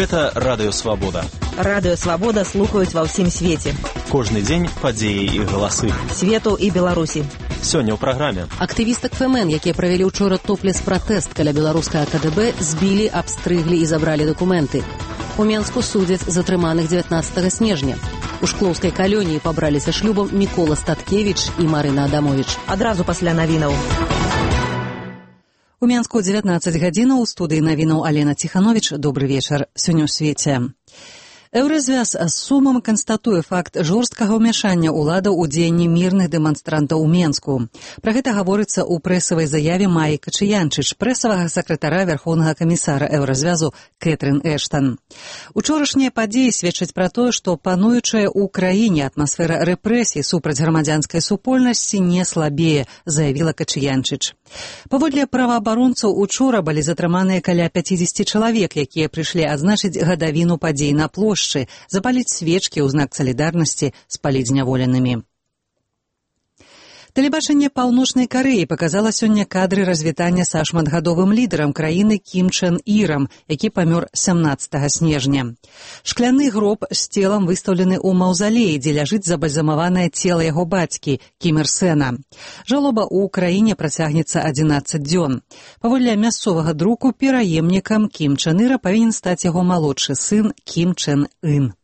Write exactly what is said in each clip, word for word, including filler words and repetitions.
Гэта Радыё Свабода. Радыё Свабода слухаюць ва ўсім свеце. Кожны дзень падзеі і галасы. Свету і Беларусі. Сёння ў праграме. Актывістак ФМН, якія правялі ўчора топлес-пратэст каля беларускага КДБ, збілі, абстрыглі і забралі дакументы. У Менску судзяць затрыманых дзевятнаццатага снежня. У шклоўскай калоніі пабраліся шлюбам Мікола Статкевіч і Марына Адамовіч. Адразу пасля навінаў. У Менску дзевятнаццаць гадзінаў, у студыі навінаў Алена Ціхановіч. Добры вечар. Сёння ў свеце. Еўразвяз з сумам канстатуе факт жорсткага ўмяшання ўладаў у дзеянні мірных дэманстрантаў у Менску. Пра гэта гаворыцца ў прэсавай заяве Маі Качыянчыч, прэсавага сакратара Вярхоўнага камісара Еўразвязу Кэтрын Эштан. Учорашнія падзеі сведчаць пра тое, што пануючая ў краіне атмасфера рэпрэсій супраць грамадзянскай супольнасці не слабее, заявіла Качыянчыч. Паводле праваабаронцаў, учора былі затрыманыя каля пяцьдзесят чалавек, якія прыйшлі адзначыць гадавіну падзей на плошчы, запаліць свечкі ў знак салідарнасці з палізняволенымі. Тэлебачанне Паўночнай Карэі паказала сёння кадры развітання са шматгадовым лідарам краіны Кім Чен Ірам, які памёр сямнаццатага снежня. Шкляны гроб з целам выстаўлены ў маўзалеі, дзе ляжыць забальзамаванае цела яго бацькі Кім Ір Сэна. Жалоба ў краіне працягнецца адзінаццаць дзён. Паводле мясцовага друку, пераемнікам Кім Чен Іра павінен стаць яго малодшы сын Кім Чен Ын.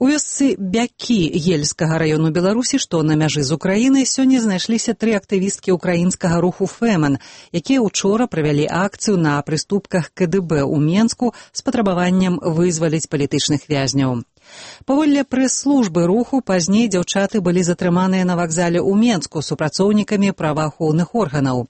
У вёсцы Бякі Ельскага раёну Беларусі, што на мяжы з Украінай, сёння знайшліся тры актывісткі ўкраінскага руху ФЭМН, якія ўчора правялі акцыю на прыступках КДБ ў Менску з патрабаваннем вызваліць палітычных вязняў. Паводле прэс-службы руху, пазней дзяўчаты былі затрыманыя на вакзале ў Менску супрацоўнікамі праваахоўных органаў.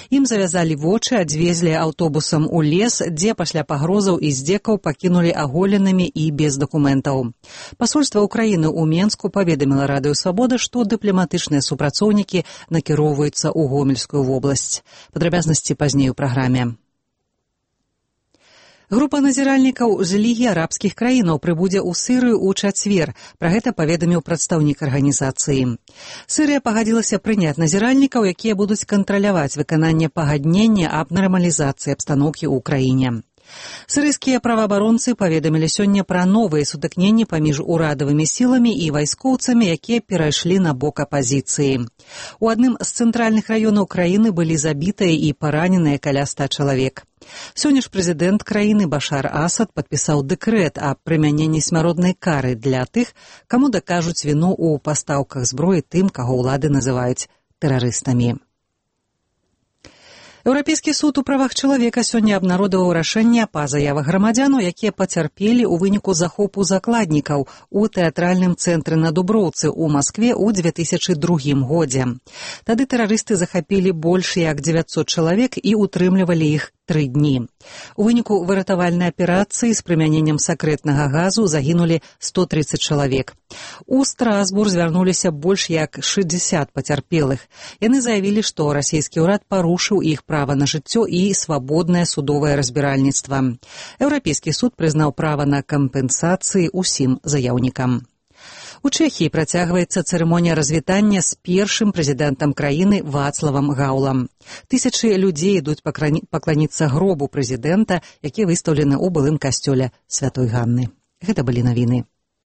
Ім завязалі вочы, адвезлі аўтобусам у лес, дзе пасля пагрозаў і здзекаў пакінулі аголенымі і без дакументаў. Пасольства Украіны ў Менску паведаміла Радыё Свабода, што дыпламатычныя супрацоўнікі накіроўваюцца ў Гомельскую вобласць. Падрабязнасці пазней у праграме. Група назіральнікаў з Лігі арабскіх краінаў прыбудзе ў Сырыю ў чацвер. Пра гэта паведаміў прадстаўнік арганізацыі. Сырыя пагадзілася прыняць назіральнікаў, якія будуць кантраляваць выкананне пагаднення аб нармалізацыі абстаноўкі ў краіне. Сырыйскія праваабаронцы паведамілі сёння пра новыя сутыкненні паміж урадавымі сіламі і вайскоўцамі, якія перайшлі на бок апазіцыі. У адным з цэнтральных раёнаў краіны былі забітыя і параненыя каля ста чалавек. Сёння ж прэзідэнт краіны Башар Асад падпісаў дэкрэт аб прымяненні смяротнай кары для тых, каму дакажуць віну ў пастаўках зброі тым, каго ўлады называюць тэрарыстамі. Еўрапейскі суд у правах чалавека сёння абнародаваў рашэнне па заявах грамадзянаў, якія пацярпелі ў выніку захопу закладнікаў у тэатральным цэнтры на Дуброўцы ў Маскве ў дзве тысячы другім годзе. Тады тэрарысты захапілі больш як дзевяцьсот чалавек і утрымлівалі іх тры дні. У выніку выратавальнай аперацыі з прымяненнем сакрэтнага газу загінулі сто трыццаць чалавек. У Страсбур звярнуліся больш як шэсцьдзесят пацярпелых. Яны заявілі, што расійскі ўрад парушыў іх права на жыццё і свабоднае судовае разбіральніцтва. Еўрапейскі суд прызнаў права на кампенсацыі ўсім заяўнікам. У Чэхіі працягваецца цырымонія развітання з першым прэзідэнтам краіны Вацлавам Гаўлам. Тысячы людзей ідуць пакланіцца гробу прэзідэнта, які выстаўлены ў былым касцёле Святой Ганны. Гэта былі навіны.